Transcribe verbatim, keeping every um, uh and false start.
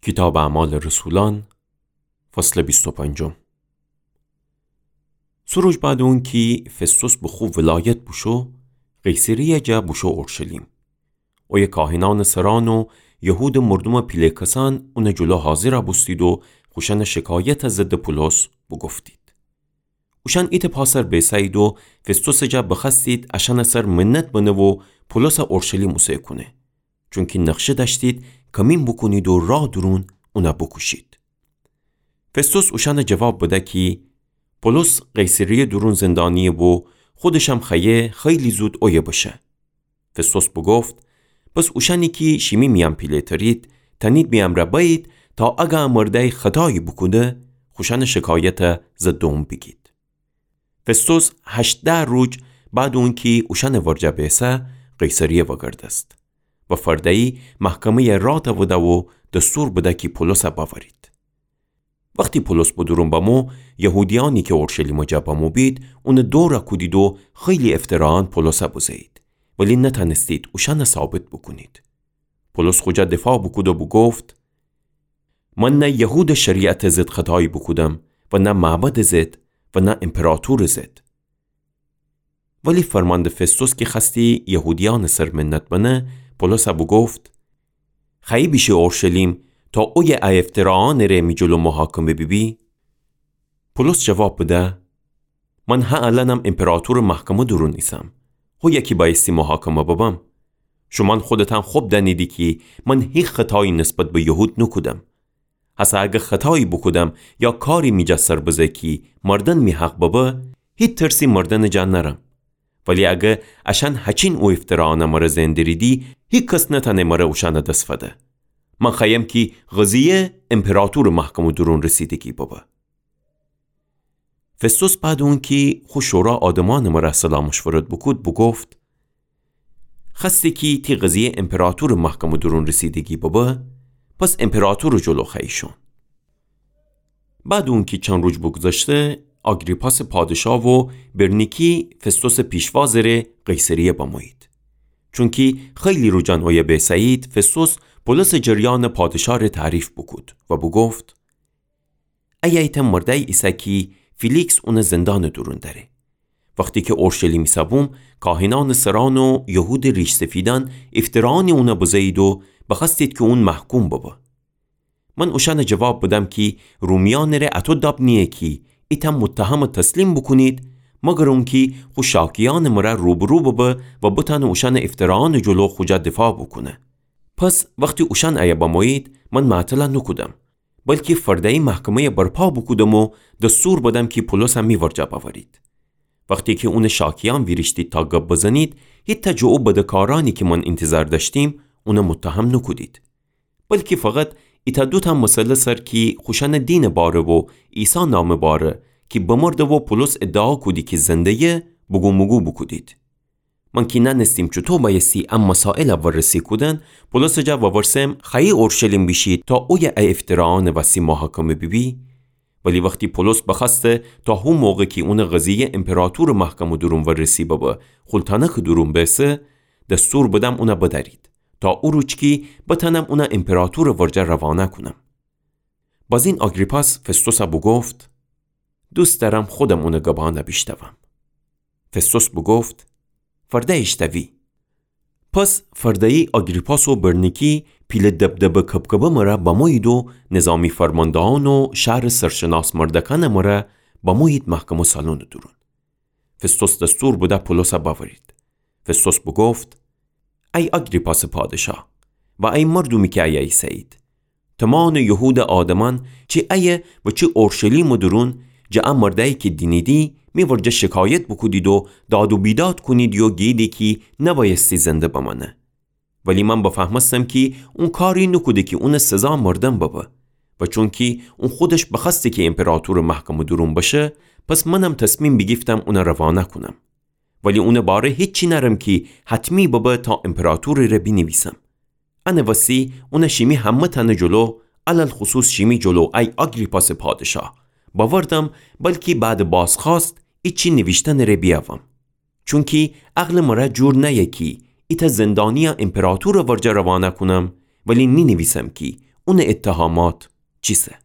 کیتابٚ اعمالٚ رسولأن، فصلٚ بیست و پنجم. سه روز بعد اونکی فستوس به خو ولایت بوشو، قیصریه جا بوشو اورشلیم. اویه کاهنأنٚ سرأن و یهودٚ مردومٚ پیله کسأن اونٚ جلو حاضر بوستید و خوشأنٚ شکایتٚ ضدٚ پولس بوگفتید. اوشأن ایتأ پا سر بیسه‌یید و فستوسٚ جا بخوأستید اشأنٚ سر منت بنه و پولسَ اورشلیم اوسه کونه. چونکی نقشه دأشتید کمین بوکونید و راه دورون اونَ بوکوشید. فستوس اوشأنَ جواب بده کی پولس قیصریه دورون زندانیه و خودشم خوأیه خیلی زود اویه بشه. فستوس بوگفت: پس اوشأنی کی شیمی میأن پیله‌ترید، تأنید می امرأ بأیید تا اگر ا مردأی خطایی بوکوده، خوشأنٚ شکایتَ ضدٚ اون بیگید. فستوس هشتأ روز بعد اونکی اوشأنٚ ورجه بیسه، قیصریه وگردست و فرده‌یی محکمه‌یَ راه دوده و دستور بده کی پولسَ بأورید. وختی پولس به دورون بمو، یهودیأنی کی اورشلیمٚ جا بمو بید، اونَ دور کودید و خیلی افتراأن پولسَ بزه‌یید، ولی نتأنستید اوشأنَ ثابت بوکونید. پولس خو جا دفاع بوکود و بوگفت: من نه یهودٚ شریعتٚ ضد خطایی بوکودم و نه معبدٚ ضد و نه ایمپراطورٚ ضد. ولی فرمانده فستوس کی خوأستی یهودیأنٚ سر منت بنه، پولسَ بوگفت: خوأیی بیشی اورشلیم تا اویه ا افتراأنٚ ره می جلو محاکمه بیبی؟ پولس جواب بده: من هه الأنم ایمپراطورٚ محکمه دورون ایسم. هویه کی بأیستی محاکمه ببم. شومأن خودتأن خب دأنیدی کی من هیچ خطایی نسبت به یهود نوکودم. هسه اگر خطایی بوکودم یا کاری می جا سر بزه کی مردن می حق ببه، هیچ ترسی مردنٚ جا نأرم. ولی اگر اشأن هچین او افتراأنَ مره زئن دریدی، هیکس نتأنه مره اوشأنَ دس فده. من خوأیم کی قضیه ایمپراطورٚ محکمه دورون رسیدگی ببه. فستوس بعد اونکی خو شورا آدمأنٚ مره صلاح مشورت بوکود، بوگفت: خوأستی کی تی قضیه ایمپراطورٚ محکمه دورون رسیدگی ببه، پس ایمپراطورٚ جلو خوأیی شون. بعد اونکی چند روز بوگذشته، آگریپاسٚ پادشاه و برنیکی فستوسٚ پیشوازٚ ره قیصریه بمویید. چونکی خیلی روزأن اویه بیسه‌یید، فستوس پولسٚ جریانٚ پادشاه ره تعریف بوکود و بوگفت: ایه ایتأ مردأیی ایسه کی فیلیکس اونَ زندانٚ دورون دأره. وختی کی اورشلیم ایسه‌بوم، کاهنأنٚ سرأن و یهودٚ ریش‌سفیدأن افتراأنی اونَ بزه‌یید و بخوأستید کی اون محکوم ببه. من اوشأنَ جواب بدم کی رومیأنٚ ره اطو داب نییه کی ایتأ متهمَ تسلیم بوکونید، مگر اونکی خو شاکیأنٚ مره روبرو ببه و بتأنه اوشأنٚ افتراأنٚ جلو خو جا دفاع بوکونه. پس وختی اوشأن ایه بمویید، من معطلَ نوکودم، بلکی فرده‌یی محکمه‌یَ برپا بوکودم و دستور بدم کی پولسَ می ورجه بأورید. وختی کی اونٚ شاکیأن ویریشتید تا گب بزنید، هیتأ جٚه او بدکارأنی کی من اینتظار دأشتیم، اونَ متهم نوکودید. بلکی فقط ایتأ دوتأ مسئله سر کی خوشأنٚ دینٚ باره و عیسی نامٚ باره کی بمرده و پولس ادعا کودی کی زنده‌یه، بگومگو بوکودید. من کی نأنستیم چوطو بأیستی ا مسائلَ ورسی کودن، پولسٚ جا وورسم خوأیی اورشلیم بیشی تا اویه ا افتراأنٚ وستی محاکمه بیبی؟ ولی وختی پولس بخوأسته تا هو موقع کی اونٚ قضیه ایمپراطورٚ محکمه دورون ورسی ببه، خول تانکٚ دورون بیسه، دستور بدم اونَ بدأرید، تا او روز کی بتأنم اونَ ایمپراطورٚ ورجه روانه کونم. بازین آگریپاس فستوسَ بوگفت: دوست دأرم خودم اونٚ گبأنَ بیشتوم. فستوس بوگفت: فرده ایشتوی. پس فرده‌یی آگریپاس و برنیکی پیله دبدبه کبکبه مره بمویید و نظامی فرماندهأن و شهرٚ سرشناس مردکأنٚ مره بمویید محکمه سالونٚ دورون. فستوس دستور بده پولسَ بأورید. فستوس بوگفت: ای آگریپاسٚ پادشا و ای مردومی کی ایه ایسه‌یید، تومانٚ یهودٚ آدمأن، چی ایه و چی اورشلیمٚ دورون، جٚه ا مردأیی کی دینیدی، می ورجه شکایت بوکودید و داد و بیداد کونیدی و گییدی کی نبأیستی زنده بمأنه. ولی من بفهمستم کی اون کاری نوکوده کی اونٚ سزا مردن ببه. و چونکی اون خودش بخوأسته کی ایمپراطورٚ محکمٚ دورون بشه، پس منم تصمیم بیگیفتم اونَ روانه کونم. ولی اونٚ باره هیچی نأرم کی حتمی ببه تا ایمپراطورٚ ره بینیویسم. انٚ وستی اونَ شیمی همه‌تأنٚ جلو، علی‌الخصوص شیمی جلو، ای آگریپاسٚ پادشا، بأوردم، بلکی بعدٚ بازخوأست ایچی نیویشتنٚ ره بیأوم. چونکی عقلٚ مره جور نأیه کی ایتأ زندانیَ ایمپراطورٚ ورجه روانه کونم، ولی نینیویسم کی اونٚ اتهامات چیسه؟